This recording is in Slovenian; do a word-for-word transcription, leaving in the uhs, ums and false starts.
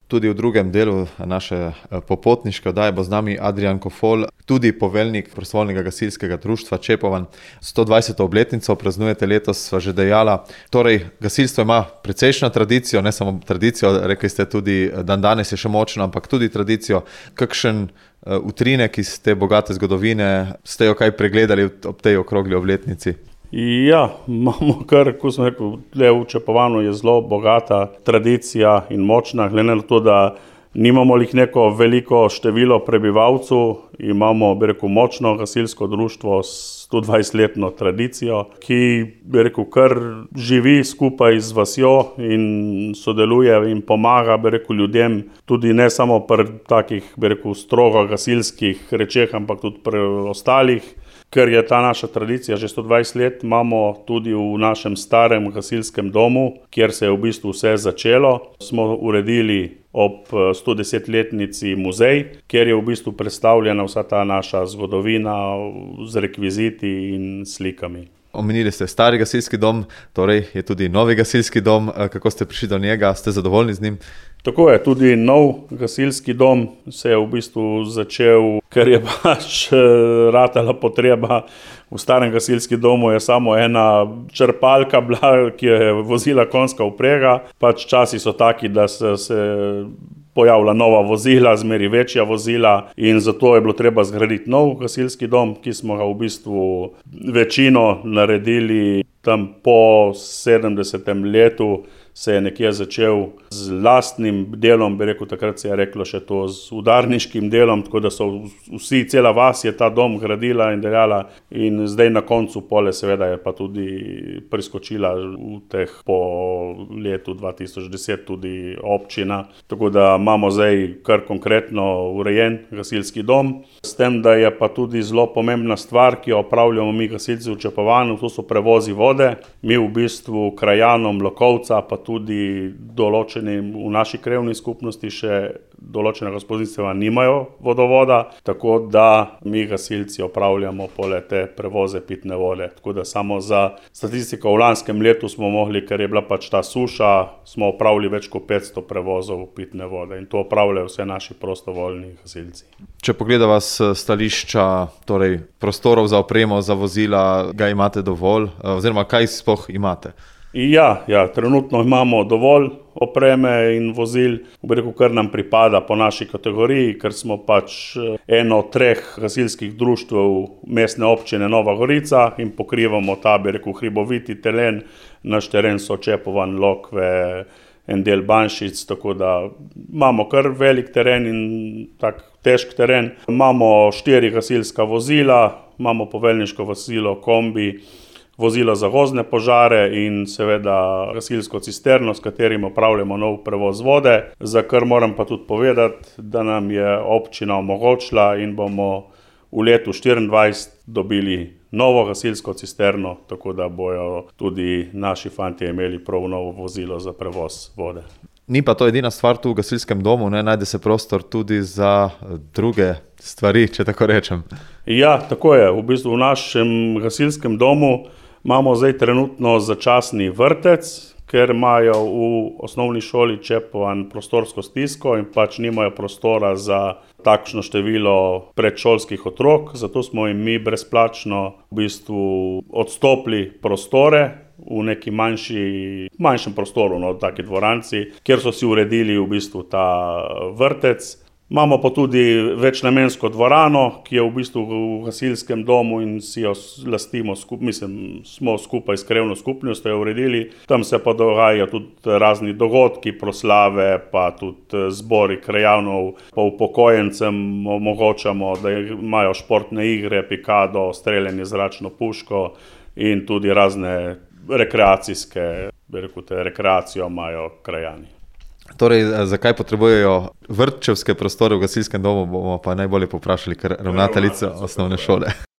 Tudi v drugem delu naše popotniške oddaje bo z nami Adrijan Kofol, tudi poveljnik prostovoljnega gasilskega društva Čepovan. sto dvajseto obletnico praznujete letos, sva že dejala. Torej, gasilstvo ima precejšnjo tradicijo, ne samo tradicijo, rekli ste tudi, dan danes je še močno, ampak tudi tradicijo. Kakšen utrinek iz te bogate zgodovine ste jo kaj pregledali ob tej okrogli obletnici? Ja, imamo kar, ko sem rekel, tle v Čepovanu je zelo bogata tradicija in močna, glede na to, da nimamo lih neko veliko število prebivalcev, imamo, bi rekel, močno gasilsko društvo s sto dvajsetletno tradicijo, ki, bi rekel, kar živi skupaj z vasjo in sodeluje in pomaga, bi rekel, ljudem, tudi ne samo pri takih, bi rekel, strogo gasilskih rečeh, ampak tudi pri ostalih. Ker je ta naša tradicija že sto dvajset let, imamo tudi v našem starem gasilskem domu, kjer se je v bistvu vse začelo. Smo uredili ob stodesetletnici muzej, kjer je v bistvu predstavljena vsa ta naša zgodovina z rekviziti in slikami. Omenili ste stari gasilski dom, torej je tudi novi gasilski dom. Kako ste prišli do njega? Ste zadovoljni z njim? Tako je, tudi nov gasilski dom se je v bistvu začel, ker je pač ratala potreba. V starem gasilskem domu je samo ena črpalka bila, ki je vozila konjska vprega. Pač časi so taki, da se, se pojavila nova vozila, zmeri večja vozila in zato je bilo treba zgraditi nov gasilski dom, ki smo ga v bistvu večino naredili tam po sedemdesetem letu. Se je nekje začel z lastnim delom, bi rekel, takrat se je reklo še to z udarniškim delom, tako da so vsi, cela vas je ta dom gradila in delala in zdaj na koncu pole seveda je pa tudi priskočila v teh po letu dva tisoč deset tudi občina, tako da imamo zdaj kar konkretno urejen gasilski dom. S tem, da je pa tudi zelo pomembna stvar, ki jo opravljamo mi gasilci v Čepovanu, to so prevozi vode. Mi v bistvu krajanom Lokovca, pa tudi določenim v naši krajevni skupnosti še določena gospodinjstva nimajo vodovoda, tako da mi gasilci opravljamo pole te prevoze pitne vode. Tako da samo za statistiko v lanskem letu smo mogli, ker je bila pač ta suša, smo opravili več kot petsto prevozov pitne vode in to opravljajo vse naši prostovoljni gasilci. Če pogledava s stališča, torej prostorov za opremo, za vozila, ga imate dovolj, oziroma kaj sploh imate? Ja, ja, trenutno imamo dovolj opreme in vozil, bi rekel, kar nam pripada po naši kategoriji, ker smo pač eno od treh gasilskih društev mestne občine Nova Gorica in pokrivamo ta, bi rekel, hriboviti teren. Naš teren so Čepovan, Lokve, en del Banšic, tako da imamo kar velik teren in tak težk teren. Imamo štiri gasilska vozila, imamo poveljniško vozilo kombi, vozilo za gozdne požare in seveda gasilsko cisterno, s katerim opravljamo nov prevoz vode, za kar moram pa tudi povedati, da nam je občina omogočila in bomo v letu štiriindvajset dobili novo gasilsko cisterno, tako da bojo tudi naši fantje imeli prav novo vozilo za prevoz vode. Ni pa to edina stvar tu v gasilskem domu, ne? Najde se prostor tudi za druge stvari, če tako rečem. Ja, tako je. V bistvu v našem gasilskem domu imamo zdaj trenutno začasni vrtec, ker imajo v osnovni šoli Čepovan prostorsko stisko in pač nimajo prostora za takšno število predšolskih otrok, zato smo jim mi brezplačno v bistvu odstopili prostore v neki manjši, manjšem prostoru, no, taki dvoranci, kjer so si uredili v bistvu ta vrtec. Imamo pa tudi večnamensko dvorano, ki je v bistvu v gasilskem domu in si jo lastimo, skup, mislim, smo skupaj s krajevno skupnostjo jo uredili. Tam se pa dogajajo tudi razni dogodki, proslave, pa tudi zbori krajanov, pa upokojencem omogočamo, da imajo športne igre, pikado, streljanje z zračno puško in tudi razne rekreacijske, bi rekel, te rekreacijo imajo krajani. Torej, zakaj potrebujejo vrtčevske prostore v gasilskem domu, bomo pa najbolje povprašali kar ravnateljico osnovne šole.